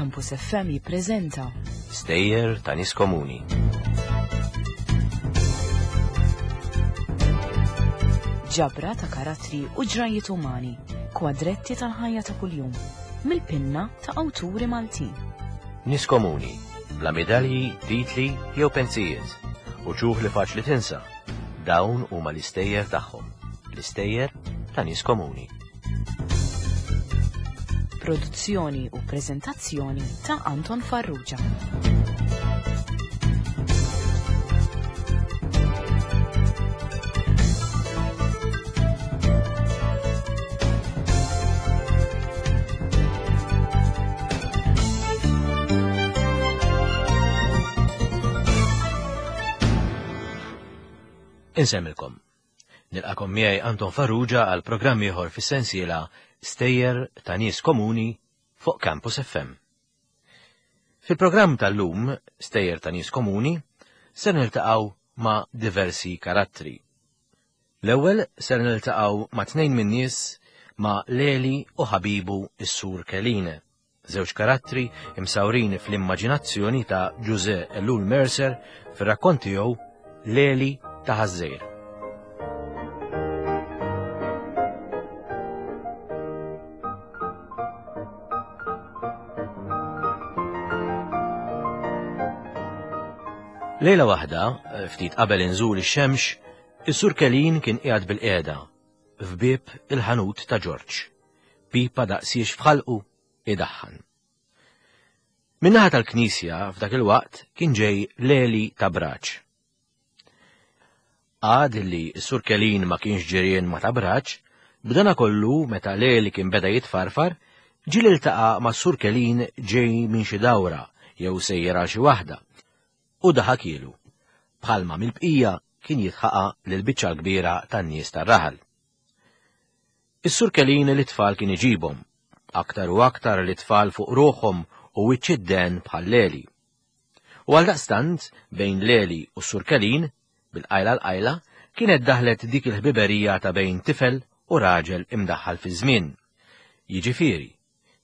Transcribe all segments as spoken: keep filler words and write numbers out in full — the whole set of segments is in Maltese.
Campus F M jippreżenta Stejjer ta' Nies Komuni. Ġabra ta' karattri u ġrajiet umani, kwadretti tal-ħajja ta' kuljum, mill-pinna ta' awturi Maltin. Nies komuni, bla medalji, titli jew pensijiet, u ċuħ li faċli tinsa. Dawn huma l-istejjer tagħhom, l-istejjer ta' nies komuni. Produzzjoni u preżentazzjoni ta' Anton Farrugia. Insemmilkom. Nilqakom miegħi Anton Farrugia għal programm ieħor fis-sensiela Stejjer ta' Nies Komuni fuq Campus F M. Fil-programm tal-lum, Stejjer ta' Nies Komuni, ser niltaqgħu ma' diversi karattri. L-ewwel ser niltaqgħu ma' tnejn min-nies ma' Leli u ħabibu s-Sur Kelin, żewġ karattri imsawrin fl-immaġinazzjoni ta' Ġużè Ellul Mercer fir-rakkont tiegħu Leli ta' Ħaż-Żgħir. Lejla waħda, ftit qabel inżul ix-xemx, is-Sur Kelin kien qiegħed bil-qiegħda f'bieb il-ħanut ta' Ġorġ. Pipa daqsiex f'ħalqu idaħħan. Min-naħa tal-knisja f'dak il-waqt kien ġej Leli ta' Braċ. Għad li s-Sur Kelin ma kienx ġirien ma ta' Braċ, b'dana kollu meta Leli kien beda jitfarfar, ġieli ltaqa' ma' s-Sur Kelin ġej minn xi dawra jew sejjer għal xi waħda. U daħakielu, bħalma mill-bqija kien jitħaqa lil biċċa l-kbira tan-nies tar-raħal. Is-Sur Kelin li tfal kien iġibhom, aktar u aktar li tfal fuq ruħhom u wiċċ id-den bħal Leli. U għaldaqstant bejn Leli u s-Sur Kelin, bil-qajla l-qajla, kienet daħlet dik il-ħbiberija ta' bejn tifel u raġel imdaħħal fi żmien. Jiġifieri,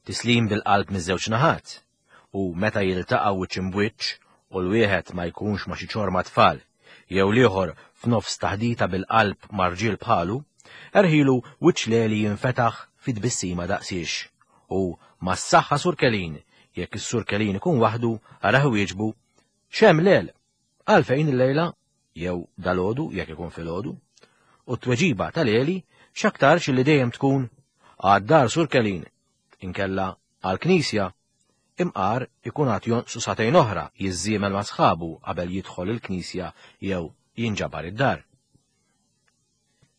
tislim bil-qalb miż-żewġ naħat, u meta jiltaqgħu wiċċ imbwiċċ u l-wieħed ma jkunx ma' xi ċorma tfal, jew l-ieħor f'nofs taħdita bil-qalb ma' rġiel bħalu, erħilu wiċċ Leli jinfetaħ fi tbissima daqsiex, u ma' s-saħħa Sur Kelin, jekk is-Sur Kelin ikun waħdu, araħ wieġbu, X'hemm Lel? Għalfejn illejla? Jew dalodu jekk ikun filgħodu. U t-tweġiba ta' Leli x'aktarx li dejjem tkun għad-dar Sur Kelin, inkella għall-knisja, imqar ikun għad jonqsu sagħtejn oħra jiżżiemel ma' sħabu qabel jidħol il-knisja jew jinġabar id-dar.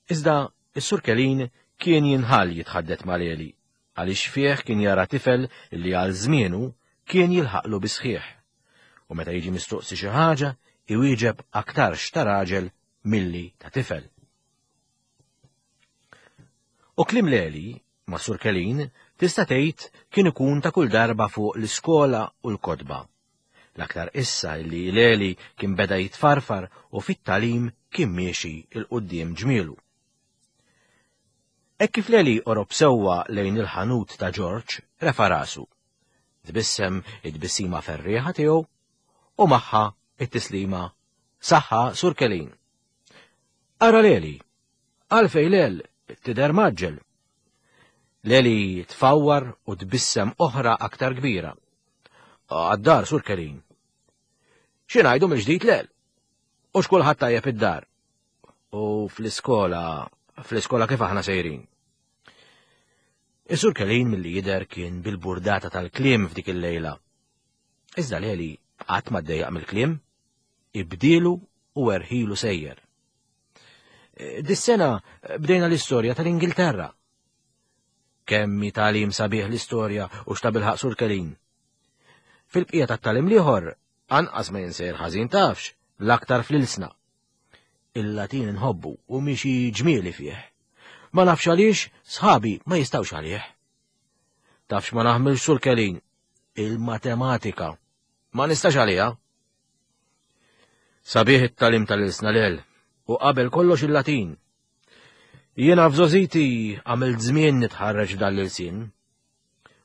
Iżda is-Sur Kelin kien jinħall jitħaddet ma' Leli, għaliex fih kien jara tifel li għal żmienu kien jilħaqlu bisħieħ. U meta jiġi mistoqsi xi ħaġa, iwieġeb aktarx ta' raġel milli ta' tifel. U kliem Leli ma' Sur Kelin tista' tgħid kien ikun ta' kull darba fuq l-iskola u l-kotba. L-aktar issa li Leli kien beda jitfarfar u fit-talim kien miexi il-quddiem ġmielu. Hekk kif Leli qorob sewwa lejn il-ħanut ta' Ġorġ, refa' rasu. Tbissem it-tbissima ferrieħa tiegħu u magħha it-tislima Saħħa Sur Kelin. Ara Leli, għalfej Lel tidher maġġel. Leli tfawwar u tbissem oħra aktar kbira. Għad-dar Sur Kelin. Xi ngħidu mill-ġdid Lel? U x'kulħadd tajjeb id-dar? U fl-iskola, fl-iskola kif aħna sejrin? Is-Sur Kelin milli jidher kien bil-burdata tal-kliem f'dik il-lejla. Iżda Leli qatt ma ddejjaq mill-kliem, ibdielu u erħilu sejjer. Dis-sena bdejna l-istorja tal-Ingilterra. Kemm hi tagħlim sabiħ l-istorja u x'ta' bilħaq Sur Kelin. Fil-bqija tat-tagħlim l-ieħor, anqas ma jinsejr ħażin tafx, l-aktar fl-ilsna. Il-Latin inħobbu u miexi ġmieli fih. Ma nafx għaliex, sħabi ma jistgħux għalih. Tafx ma naħmilx Sur Kelin, il-matematika. Ma nistax għaliha. Sabiħ it-tagħlim tal-ilsna lel, u qabel kollox il-Latin. Jiena f'żożiti għamilt żmien nitħarreġ f'dan l-ilsien.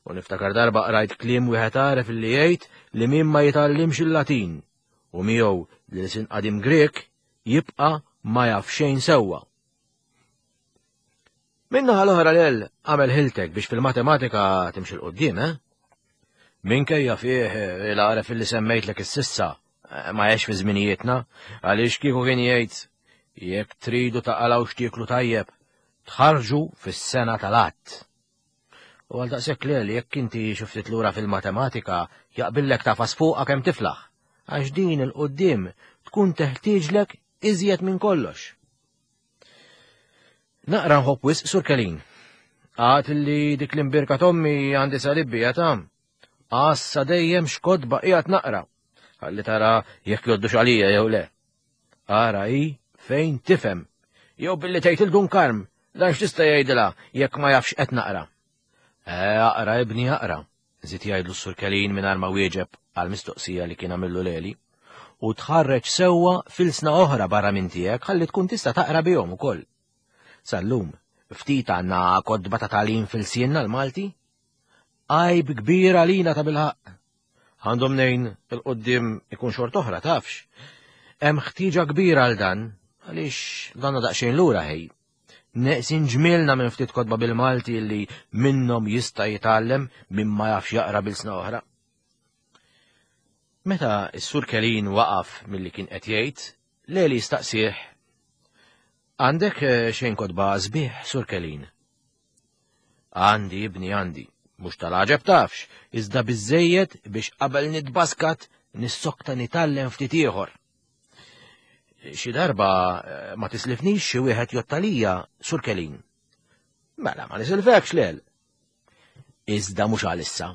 U niftakar darba qrajt kliem wieħed għaref illi jgħid li min ma jitgħallimx il-Latin u miegħu l-ilsien qadim Grek jibqa' ma jaf xejn sewwa. Min-naħa l-oħra lel għamel ħiltek biex fil-matematika timxi 'l quddiem, eh? Minkejja fih il-għaref illi semmejtlek is-sissa ma għex fi żminijietna, għaliex kieku kien jgħid jekk tridu taqalgħu x'tieklu tajjeb, tħarġu fis-sena tal-att. U għal daqshekk lel jekk inti xi ftit lura fil-matematika jaqbillek tafas fuqha kemm tiflaħ, għax din il-quddiem tkun teħtieġlek iżjed minn kollox. Naqra nħobb wisq Sur Kelin. Għad li dik l-imbirka tommi għandi salibbi tam. Għassa dejjem x'kotba qiegħed naqra. Ħalli tara jekk joddux għalija jew le. Ara hi fejn tifhem. Jew billi tgħid il-Dun Karm, dan x'tista' jgħidilha jekk ma jafx qed naqra. Eh, aqra ibni aqra, żied jgħidlu s-Sur Kelin mingħajr ma wieġeb għall-mistoqsija li kien għamillu Leli. U tħarreġ sewwa f'ilsna oħra barra minn tiegħek ħalli tkun tista' taqra bihom ukoll. Sal-lum, ftit għandna kotba ta' tagħlim fil-sienna l-Malti? Għajb kbir għalina ta' bilħaqq. Għandhom nejn il-qoddim ikun xort oħra tafx. Hemm ħtieġa kbira għal dan, għaliex danna daqsxejn lura ħej. Neqsin ġmielna minn ftit kotba bil-Malti li minnhom jista' jitgħallem minn ma jafx jaqra bil-sna oħra. Meta s-Sur Kelin waqaf milli kien qed jgħid, Leli staqsih, għandek xejn kotba sbieħ, Sur Kelin? Għandi, ibni, għandi. Mhux tal-għaġeb tafx, iżda biżejjed biex qabel nitbaskat nissokta nitgħallem ftit ieħor. Xi darba ma tislifnix xi wieħed jottalija, Sur Kelin. Mela ma nisilfekx lel. Iżda mhux għalissa,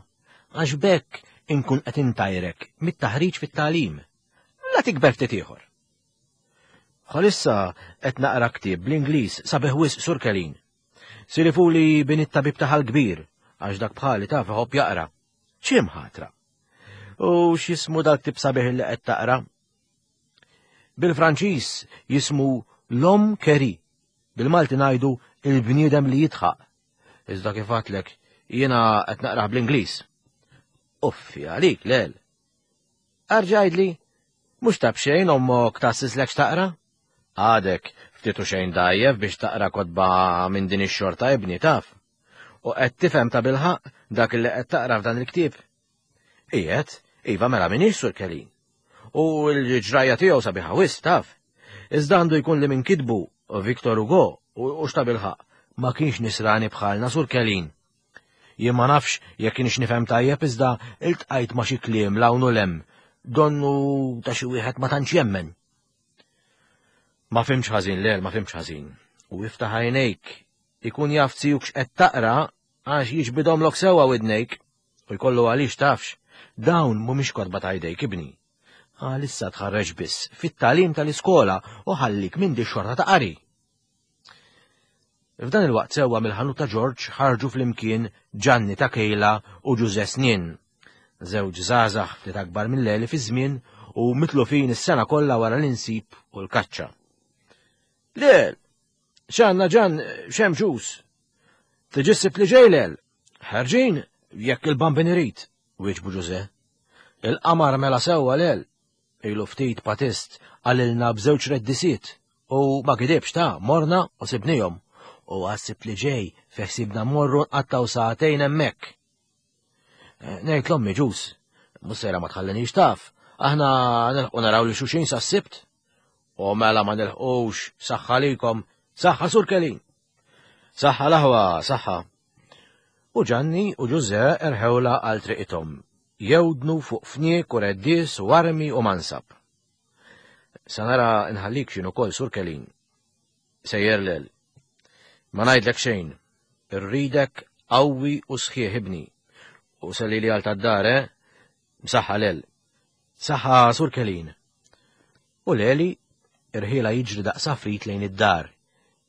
għax bekk inkun qed intajrek mit-taħriġ fit-tagħlim. La tikber ftit ieħor. Bħalissa qed naqra ktieb bl-Ingliż sabiħ wisq Sur Kelin. Silifuli bin it-tabib taħal kbir, għax dak bħali taf iħobb jaqra. X'im ħatra? U x'jismu dal-ktieb sabiħ li qed taqra? Bil-Franċiż jismu L'Homme qui rit, bil-Malti ngħidu il-bniedem li jidħaq. Iżda kif għadtlek, jiena qed naqrah bl-Ingliż. Uffi għalik, lel. Arġa' għidli, mhux ta' b'xejn ommok tassislek x'taqra? Għadek ftit u xejn dajjef biex taqra kotba minn din ix-xorta ibni taf. U qed tifhem ta' bilħaq dak li qed taqra f'dan il-ktieb. Qiegħed, iva mela minix Sur Kelin. U l-ġrajja tiegħu sabiħa wisq taf. Iżda għandu jkun li minn kitbu Victor Hugo u x'ta' bilħaq ma kienx nisrani bħalna Sur Kelin. Jien ma nafx jekk kienx nifhem tajjeb iżda iltqajt ma' xi kliem l-hawn u l-hemm, donnu ta' xi wieħed ma tantx jemmen. Ma fimx ħażin lel, ma fimx ħażin. U iftaħ għajnejk, ikun jaf tiegħek x'qed taqra għax jiġbidhomlok sewwa widnejk u jkollu għaliex tafx, dawn mhumiex kotba ta' jdejk ibni. Għalissa tħarreġ biss fit-tagħlim tal-iskola u ħallik minn di xorta ta' qari. F'dan il-waqt sewwa mill-ħanut ta' Ġorġ ħarġu flimkien Ġanni ta' Kejla u Ġuże Snien, żewġ żgħażagħ ftit akbar minn Leli fi żmien u mitlufin is-sena kollha wara l-insib u l-kaċċa. Lel, x'għandna Ġan x'hemm ġuż? Tiġi s-Sibt li ġej lel? Ħarġin jekk il-Bambin irid, wieġbu Ġuże. Il-qamar mela sewwa lel. Ilu ftit patist qalilna b'żewġ reddisiet u ma gidibx ta' morna u sibnihom. U għas-Sibt li ġej feħsibna morru nqattaw sagħtejn hemmhekk. Ngħid l-ommi ġuż, mhux sejra ma tħallinix taf, aħna nilħqu naraw li xuxin sas-Sibt. U mela ma nilħqux, saħħa likom, saħħa Sur Kelin. Saħħa l-aħwa, saħħa. U Ġanni u Ġuże erħewla għal triqithom, jewdnu fuq fniek u reddis u armi u mansab. Sa nara nħallik x'inhu ukoll Sur Kelin. Sejjer lel. Ma ngħidlek xejn, irridek qawwi u sħiħ ibni. U sellili għal tad-dar, eh? Msaħħa lel. Saħħa Sur Kelin. U Leli irħiela jiġri daqs għafrit lejn id-dar,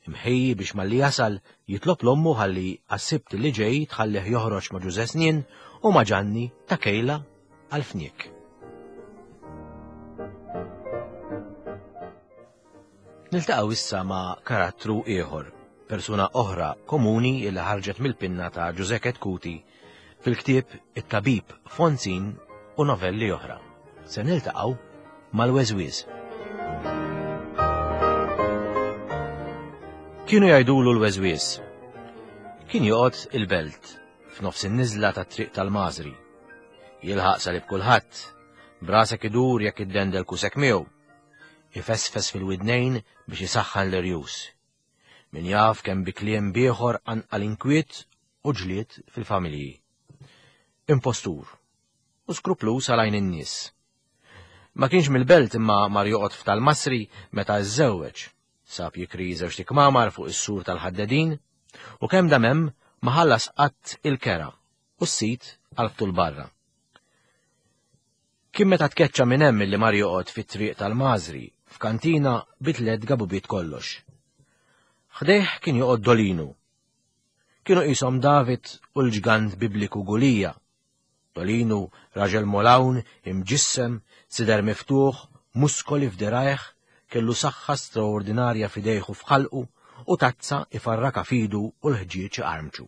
imħejji biex malli jasal jitlob l-ommu ħalli għas-Sibt li ġej tħallih joħroġ ma' Ġuże Snien u ma' Ġanni ta' Kejla għal fniek. Niltaqgħu issa ma' karattru ieħor, persuna oħra komuni li ħarġet mill-pinna ta' Ġuże Chetcuti Fil-ktieb It-Tabib Fonzin u novelli oħra. Se niltaqgħu mal-Weżwiż. Kienu jgħidulu l-Weżwiż. Kien joqgħod il-belt f'nofs in-niżla tat-triq tal-Mażri. Jilħaq salib kulħadd, brasek idur jekk iddendel kusek miegħu. Ifesfes fil-widnejn biex isaħħan l-irjus. Min jaf kemm bi kliem bieħor anqal inkwiet u ġlied fil-familji. Impostur u skruplus għal għajn in-nies. Ma kienx mill-belt imma mar joqgħod f'tal-Masri meta żżewweġ. Sab jikri żewġ kmamar fuq is-sur tal-ħaddedin u kemm dam hemm ma ħallas qatt il-kera u s-sit għalftu l-barra. Kien meta tkeċċa minn hemm illi mar joqgħod fit-triq tal-Mażri f'kantina bi tliet gabubiet kollox. Ħdejh kien joqgħod Dolinu. Kienu qishom David u l-ġgant bibliku Gulija. Dolinu raġel molawn, imġissem, sider miftuħ, muskoli f'dirajh, kellu saħħa straordinarja f'idejh u f'ħalqu u tazza ifarraka fidu u l-ħġieġ iqarmċu.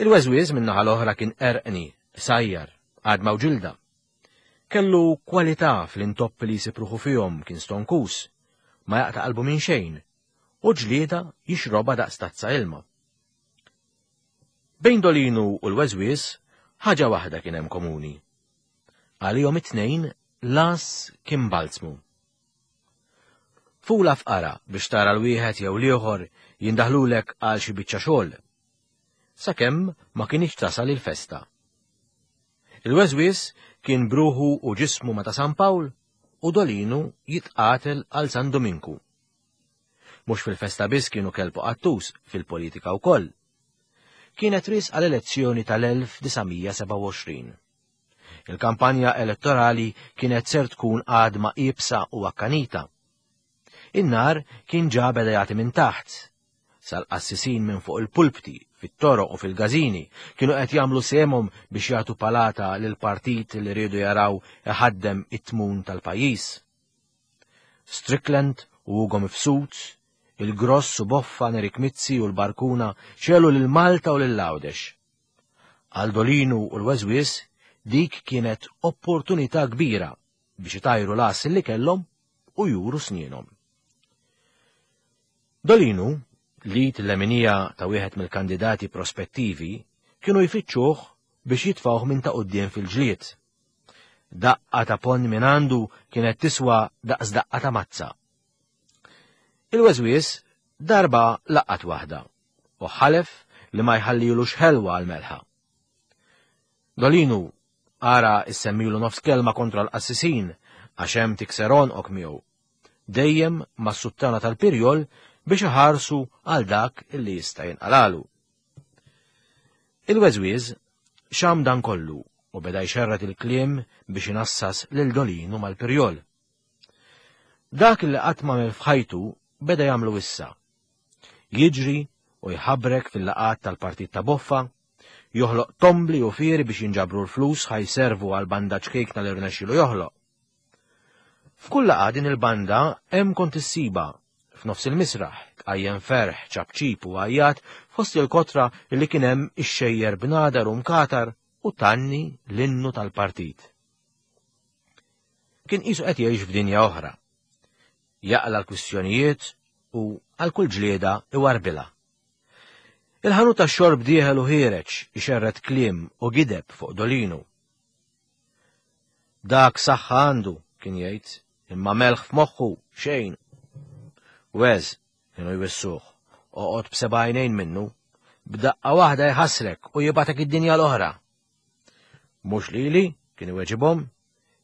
Il-Weżwiż min-naħa l-oħra kien erqni, sajjar, għadma u ġilda. Kellu kwalità fl-intoppi li jsib ruħu fihom, kien stonkus, ma jaqta' qalbu minn xejn, u ġlieda jixroba daqs tazza ilma. Bejn Dolinu u l-Weżwiż ħaġa waħda kien hemm komuni. Għalihom it-tnejn las kien balzmu. Fula fqara biex tara l-wieħed jew l-ieħor jindaħlulek għal xi biċċa xogħol. Sakemm ma kienx tasal il-festa. Il-Weżwiż kien bruħu u ġismu ma ta' San Pawl u Dolinu jitqatel għal San Dominku. Mhux fil-festa biss kienu kelbu qattus, fil-politika wkoll. Kienet ris għal elezzjoni tal-elf disa' mija sebgħa u għoxrin. Il-kampanja elettorali kienet ser tkun għadma iebsa u akkanita. In-nar kien ġa beda jagħti minn taħt. Sal-qassisin minn fuq il-pulpti, fit-toroq u fil-gażini kienu qed jagħmlu sehemhom biex jagħtu palata lil partit li riedu jaraw iħaddem it-tmun tal-pajjiż. Strickland u Ugo Mifsud, il-Gross u Boffa, Nerik Mizzi u l-Barkuna xelu lil Malta u lil Għawdex. Għal Dolinu u l-Weżwiż dik kienet opportunità kbira biex itajru l-as li kellhom u juru snienhom. Dolinu, li t-leminija ta' wieħed mill-kandidati prospettivi, kienu jfittxuh biex jitfawh minn ta' quddiem fil-ġlied. Daqqa ta' pon minn għandu kienet tiswa daqs daqqa ta' mazza. Il-Weżwiż darba laqat waħda u ħalef li ma jħallilux ħelwa għal-melħa. Dolinu ara issemmilu nofs kelma kontra l-qassisin għax hemm tikser għonqok miegħu. Dejjem mas-suttana tal-pirjol biex iħarsu għal dak illi jista' jinqalalu. Il-Weżwiż xam dan kollu u beda jxerred il-kliem biex inassas lil Dolinu mal-pirjol. Dak li qatt m'għamel f'ħajtu beda jagħmlu issa. Jiġri u jħabrek fil-laqat tal-partit ta' Boffa, joħloq tombli u fieri biex jinġabru l-flus ħajservu għal banda ċkejkna li rnexxilu joħloq. F'kull laqgħa din il-banda hemm kont issiba f'nofs il-misraħ, tqajjem ferħ, ċapċip u għajjat fost il-kotra li kien hemm ixxejjer b'nadar u mkatar u tanni l-innu tal-partit. Kien qisu qed jgħix f'dinja oħra. Jaqla l-kwistjonijiet u għal kull ġlieda iwarbilha. Il-ħanut tax-xorb dieħel u ħiereġ ixerred kliem u gideb fuq Dolinu. Dak saħħa għandu, kien jgħid, imma melħ f'moħħu xejn. Weż, kienu jwissuh, oqgħod b'seba' għajnejn minnu, b'daqqa waħda jħassrek u jibatek id-dinja l-oħra. Mhux lili, kien iweġibhom,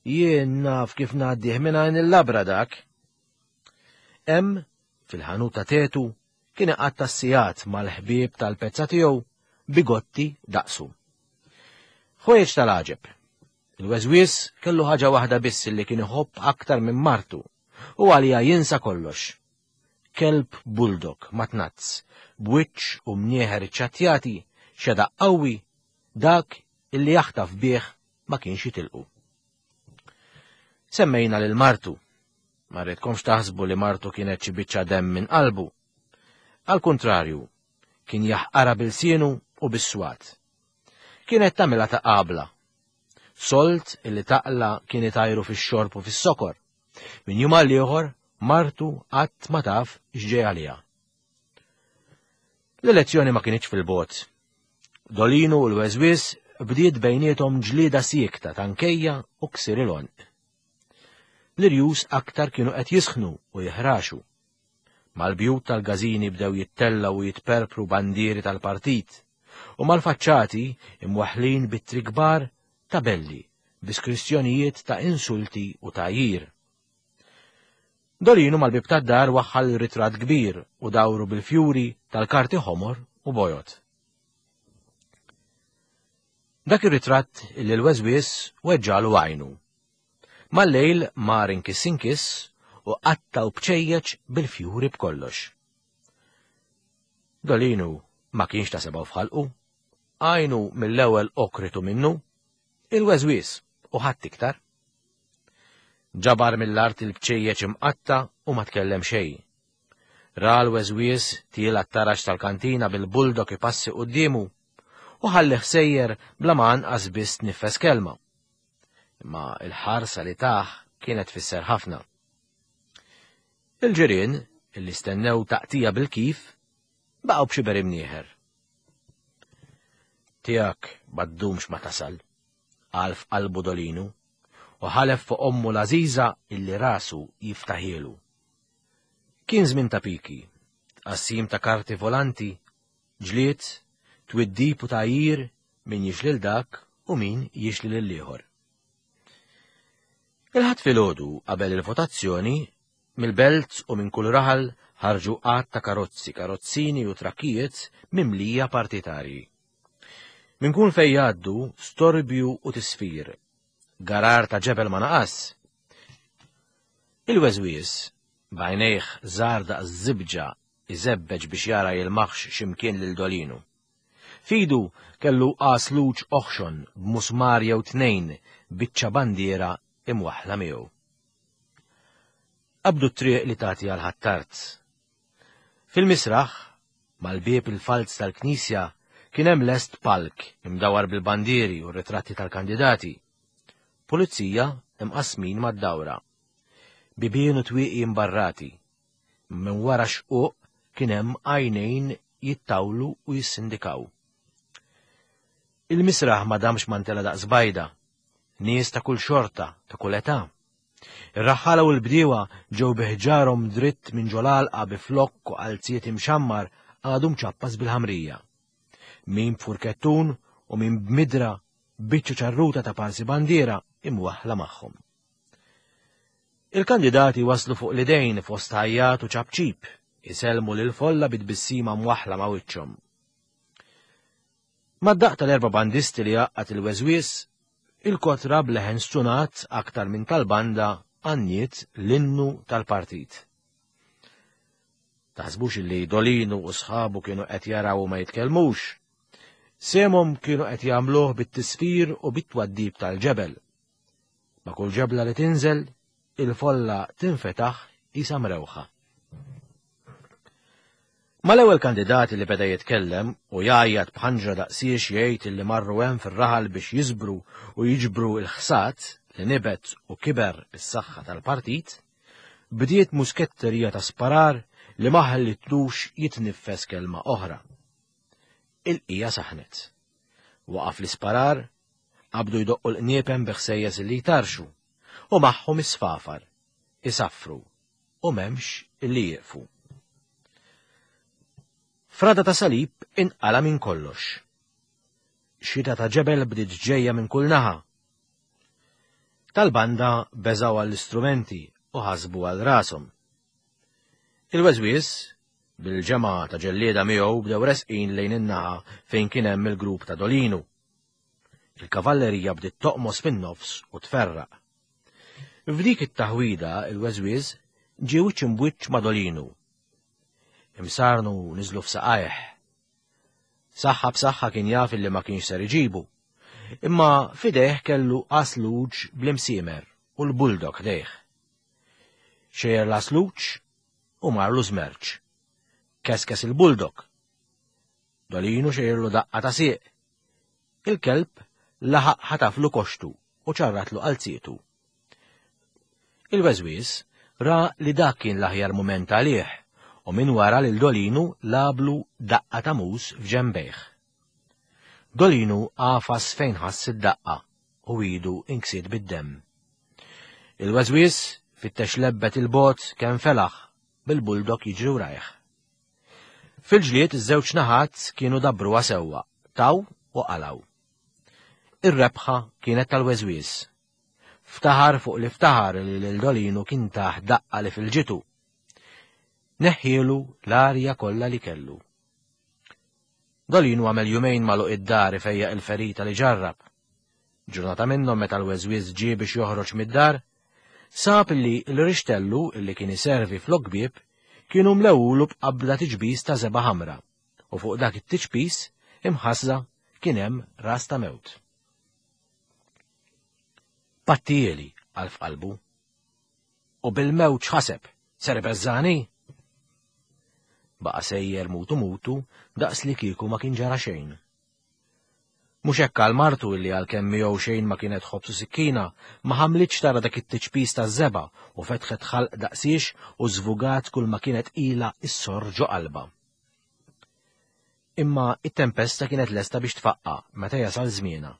jien naf kif ngħaddih minn għajn il-labra dak. Hemm, fil-ħanut ta' Tetu, kien iqatta' s-sigħat mal-ħbieb tal-pezza tiegħu bigotti daqsu. Ħwejjeġ tal-għaġeb. Il-Weżwiż kellu ħaġa waħda biss li kien iħobb aktar minn martu u għalija jinsa kollox. Kelb bulldog matnazz, b'wiċċ u mnieħer iċċattjati, xeda qawwi, dak illi jaħtaf bih ma kienx jitilqu. Semmejna lil martu. Ma rridkomx taħsbu li martu kienet xi biċċa demm minn qalbu. Al kontrarju, kien jaħqara bil-sienu u bis-swat. kienet tagħmilha ta' qabla. Solt illi taqla kien itajru fix-xorb u fis-sokor. Min jum għal ieħor martu qatt ma taf x'ġej għaliha. L-elezzjoni ma kinitx fil-bogħod. Dolinu u l-Weżwiż bdiet bejniethom ġlieda siekta tankejja u ksir il-għonq. L-irjus aktar kienu qed jisħnu u jiħraxu. Mal-bjut tal-gażini bdew jittellaw u jitperpru bandieri tal-partit u mal-faċċati imwaħħlin b'ittri kbar tabelli bi skrizzjonijiet ta' insulti u tgħajjir. Dolinu mal-bib tad-dar waħħal ritratt kbir u dawru bil-fjuri tal-karti ħomor u bojod. Dak ir-ritratt illi l-Weżwiż weġġalu għajnu. Mal-lejl mar inkiss inkiss u qatta' u bċejjeċ bil-fjuri b'kollox. Dolinu ma kienx ta' sebgħu f'ħalqu, għajnu mill-ewwel okritu minnu, il-Weżwiż u ħadd iktar. Ġabar mill-art il-bċejjeċ imqatta' u ma tkellem xejn. Ra l-Weżwiż tiela' t-taraġ tal-kantina bil-buldok ipassi quddiemu u ħallih sejjer bla ma anqas biss tniffes kelma. Imma il-ħarsa li tah kienet tfisser ħafna. Il-ġirien, illi stennew taqtija bil-kif, baqgħu b'xiber imnieħer. Tiegħek ma ddumx ma tasal, qal f'qalbu Dolinu, u ħalef fuq ommu l-għażiża illi rasu jiftaħielu. Kien żmien ta' piki, tqassim ta' karti volanti, ġlied, twiddib u tgħajjir min jixli 'l dak u min jixli lil ieħor. Il-Ħadd filgħodu qabel il-votazzjoni, mill-belt u minn kull raħal ħarġu għadd ta' karozzi, karozzini u trakkijiet mimlija partitarji. Minn kull fejn jgħaddu storbju u tisfir, garar ta' ġebel ma naqas. Il-Weżwiż, b'għajnejh żgħar daqs żibġa iżebbeġ biex jara jilmaħx x'imkien lil Dolinu. F'idu kellu għasluġ oħxon b'musmar jew tnejn biċċa bandiera imwaħħla miegħu. Qabdu t-triq li tagħti għal Ħ'Attard. Fil-misraħ, mal-bieb il-falz tal-knisja, kien hemm lest palk imdawar bil-bandieri u r-ritratti tal-kandidati. Pulizija imqasmin mad-dawra. Bibien u twieqi imbarrati. Minn wara xquq kien hemm għajnejn jittawlu u jissindikaw. Il-misraħ ma damx ma ntela daqs bajda. Nies ta' kull xorta, ta' kull età. Ir-raħħala u l-bdiewa ġew bi ħġarhom dritt minn ġol-għalqa bi flokk u qalziet imxammar għadu mċappas bil-ħamrija. Min b'furkettun u min b'midra biċċa ċarruta ta' parsi bandiera imwaħħla magħhom. Il-kandidati waslu fuq l-idejn fost ħajjat u ċapċip, isellmu lil folla bit-tbissima mwaħħla ma' wiċċhom. Mad-daqq tal-erba' bandisti li għaqqad il-Weżwiż, il-kotra b'leħen stunat aktar minn tal-banda għanniet l-innu tal-partit. Taħsbux li Dolinu u sħabu kienu qed jaraw u ma jitkellmux. Semhom kienu qed jagħmluh bit-tisfir u bit-twaddib tal-ġebel. Ma' kull ġebla li tinżel, il-folla tinfetaħ isa mrewħa. Mal-ewwel kandidati li beda jitkellem u jgħajjat b'ħanġra daqsiex jgħid illi marru hemm fir-raħal biex jiżbru u jiġbru l-ħsad li nibet u kiber bis-saħħa tal-partit, bdiet musketterija ta' sparar li ma ħallitlux jitniffes kelma oħra. Il-qija saħnet. Waqaf l-isparar, qabdu jdoqqu l-qniepen bi ħsejjes li jtarxu, u magħhom isfafar, isaffru, u m'hemmx illi jieqfu. Frada ta' salib inqala minn kollox. Xita ta' ġebel bdiet ġejja minn kull naħa. Tal-banda beżaw għall-istrumenti u ħasbu għal rashom. Il-Weżwiż, bil-ġemgħa ta' ġellieda miegħu bdew resqin lejn in-naħa fejn kien hemm il-grupp ta' Dolinu. Il-kavallerija bdiet toqmos fin-nofs u tferraq. F'dik it-taħwida il-Weżwiż ġie wiċċ imbwiċċ ma' Dolinu. Imsarnu niżlu f'saqajh. Saħħa b'saħħa kien jaf illi ma kienx ser iġibu. Imma f'idejh kellu għasluġ bl-imsiemer u l-buldog ħdejh. Xejjer l-għasluġ u marlu żmerċ. Keskes il-buldog. Dolinu xejjerlu daqqa ta' sieq. Il-kelb laħaq ħataflu koxtu u ċarratlu qalzietu. Il-weżwies ra li dak kien l-aħjar mument għalih u minn wara lil Dolinu lablu daqqa ta' mus f'ġembejh. Dolinu għafas fejn ħass id-daqqa u idu inksiet bid-demm. Il-weżwies fittex lebbet il-bot kemm felaħ bil-buldok jiġri rajh. Fil-ġlied iż-żewġ naħat kienu dabruha sewwa, taw u qalaw. Ir-rebħa kienet tal-weżwies. Ftaħar fuq li ftaħar li lil Dolinu kien taħ daqqa li fil-ġitu. Neħħielu l-arja kollha li kellu. Dolinu għamel jumejn magħluq id-dar ifejjaq il-ferita li ġarrab. Ġurnata minnhom meta l-weżwies ġie biex joħroġ mid-dar, sab li l-rixtellu illi kien iservi flok bieb kienu mlewulu b'qabla tiġbis ta' żebgħa ħamra u fuq dak it-tiġbis imħassra kien hemm ras ta' mewt. Pattieli għal f'qalbu. U bil-mewt x'ħaseb, ser beżżani? Baqa' sejjer mutu mutu daqs li kieku ma kien ġara xejn. Mhux hekk għal martu illi għalkemm miegħu xejn ma kienet ħobż u sikkina, ma ħamlitx tara dak it-tiċpis taż-żebgħa u fetħet ħalq daqsiex u żvugat kull ma kienet ilha issorr ġo qalbha. Imma it-tempesta kienet lesta biex tfaqqa meta jasal żmienha.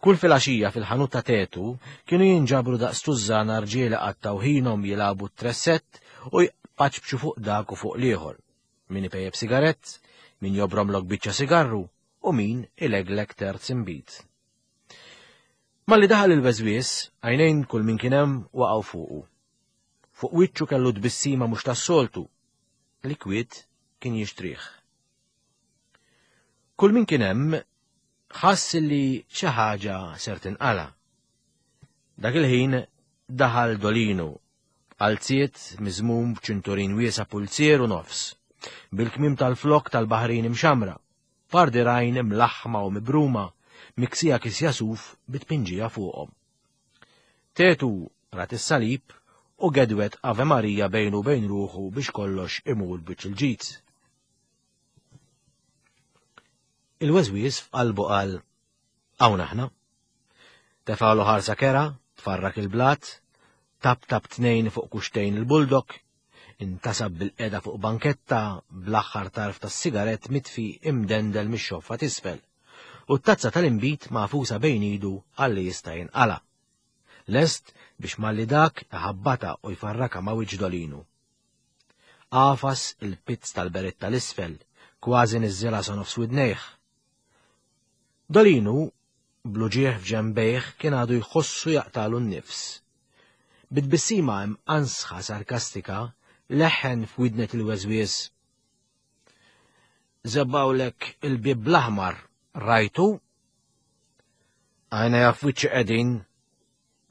Kull filgħaxija fil-ħanut ta' Tetu kienu jinġabru daqs tużżana rġiel qattgħu ħinhom jilagħbu t-tressett u jpaċpċu fuq dak u fuq l-ieħor. Min ipejjep sigarett, min jobromlok biċċa sigarru u min ileglek terz imbit. Malli daħal il-weżwies, għajnejn kull min kien hemm waqgħu fuqu. Fuq wiċċu kellu tbissima mhux tas-soltu, li kwiet kien jixtrih. Kull min kien hemm ħass li xi ħaġa ser tinqala. Dak il-ħin daħal Dolinu, b'qalziet miżmum b'ċinturin wiesa' pulzier u nofs, bil-kmim tal-flok tal-baħrin imxamra, pardirajn imlaħħma u mibruma, miksija kisja suf bitpinġija fuqhom. Tetu rat is-salib u gedwet Ave Marija bejnu bejn ruħu biex kollox imur biċ il-ġid. Il-weżwies f'qalbu qal, hawn aħna. Tefgħalu ħarsa kera, tfarrak il-blat, tap tap tnejn fuq kuxtejn il-buldok, intasab bil-qeda fuq banketta bl-aħħar tarf tas-sigarett mitfi imdendel mix-xoffa t'isfel, u t-tazza tal-imbit magħfusa bejn idu għalli jista' jinqala. Lest biex malli dak iħabbata u jfarraka ma' wiċċ Dolinu. Għafas il-pizz tal-beretta l-isfel, kważi niżżilha sa nofs widnejh. Dolinu, bl-uġigħ f'ġembejh, kien għadu jħossu jaqtalu n-nifs. Bit-tbissima imqansħa sarkastika, leħen f'widnet il-weżwies. Żebbawlek il-bieb bl-aħmar, rajtu? Għajna jaf wiċċi qegħdin,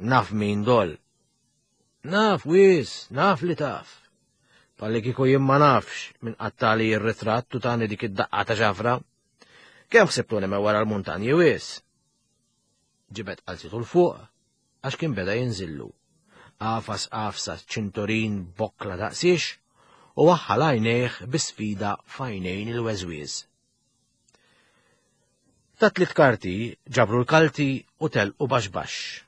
naf min dol. Naf wis, naf li taf. Palli kieku jien ma nafx minn qattali r-ritratt u tani dik id-daqqa ta' ġafra. Kemm ħsibtuni me wara l-muntanji wis? Ġibed qalzitu l fuq għax kien beda jinżillu. Għafas għafsa ċinturin bokkla daqsiex u waħħal għajnejh bi sfida f'għajnejn il-weżwies. Ta' tliet karti ġabru l-kalti u telqu baxx baxx.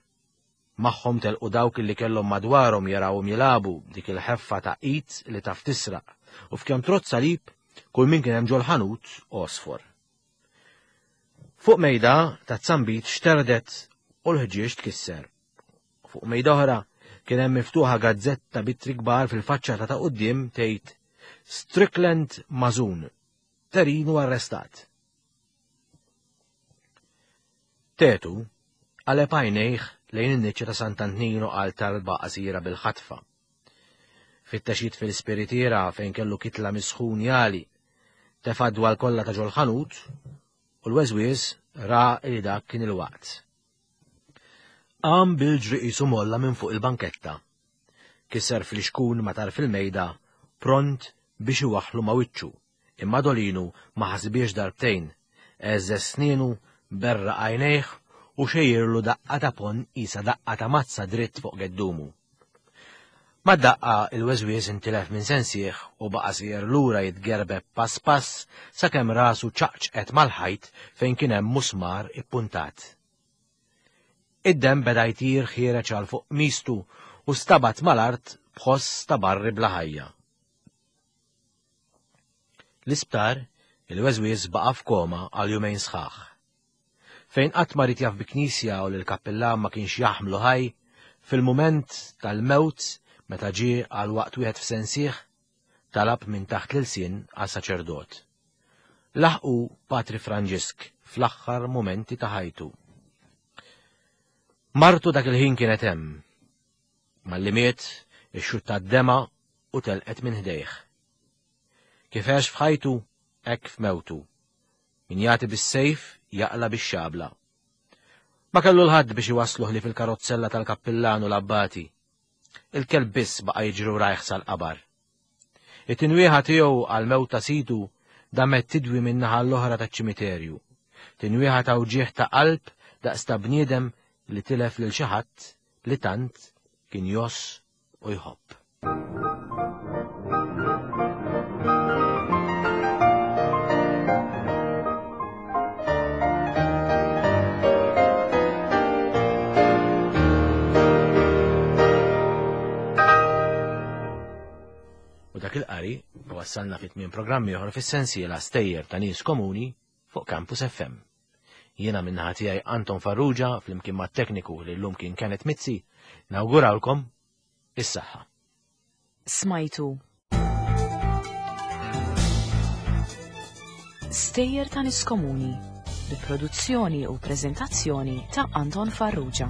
Magħhom telqu dawk li kellhom madwarhom jarawhom jilagħbu dik il-ħeffa ta' id li taf tisraq u f'kemm trott salib kull min kien hemm ġol-ħanut għosfor. Fuq mejda ta' zambit xterdet u l-ħġieġ tkisser. Fuq mejda oħra kien hemm miftuħa gazzetta b'ittri kbar fil-faċċata ta' quddiem tgħid Strickland Mażun, Terinu arrestat. Tetu qaleb għajnejh lejn in-niċċa ta' Sant'Antnino għal talba qasira bil-ħatfa. Fittex fil-spiritiera fejn kellu kitla misħun jali, tefa' dwal kollha ta' ġol-ħanut u l-weżwies ra li dak kien il-waqt. Qam bil-ġri qisu molla minn fuq il-banketta. Kisser fl-ixkun ma tarf il-mejda, pront biex iwaħħlu ma' wiċċu, imma Dolinu ma ħasbiex darbtejn, għeżżeż snienu, berraq għajnejh u xejjirlu daqqa ta' pon qisha daqqa ta' mazza dritt fuq geddumu. Mad-daqqa il-weżwież intilef minn sensih u baqa' sejjer lura jitgerbeb pass pass sakemm rasu ċaqċqet mal-ħajt fejn kien hemm musmar ippuntat. Id-demm beda jtir ħiereġ għal fuq mistu u stabat mal-art b'ħoss ta' barri bla ħajja. L-isptar, il-weżwież baqa' f'koma għal jumejn sħaħ. Fejn qatt ma ried jaf bi knisja u l-kappillan ma kienx jaħmlu ħaj, fil-mument tal-mewt meta ġie għal waqt wieħed f'sensih, talab minn taħt l-ilsien għal saċerdot. Laħqu Patri Franġisk fl-aħħar mumenti ta' ħajtu. Martu dak il-ħin kienet hemm. Malli miet, ixxutta d-dema u telqet minn ħdejh. Kif għex f'ħajtu, hekk f'mewtu. Min jagħti bis-sejf jaqla bix-xabla. Ma kellu l-ħadd biex iwassluh li fil-karozzella tal-kappillan u l-abbati. Il-kelb biss baqa' jiġri rajh sal-qabar. It-tinwieħa tiegħu għal-mewt ta' sidu damet tidwi min-naħa l-oħra taċ-ċimiterju. Tinwieħa ta' wġieħ ta' qalb daqs ta' bniedem li tilef lil xi ħadd li tant kien joss u jħobb. U dak il-qari wassalna fit tmiem programm ieħor fis-sensiela Stejjer ta' Nies Komuni fuq Campus F M. Jiena min-naħa tiegħi Anton Farrugia flimkien mat-tekniku li llum kien Kenneth Mizzi, nawgurawlkom is-saħħa. Smajtu Stejjer ta' Nies Komuni bi produzzjoni u preżentazzjoni ta' Anton Farrugia.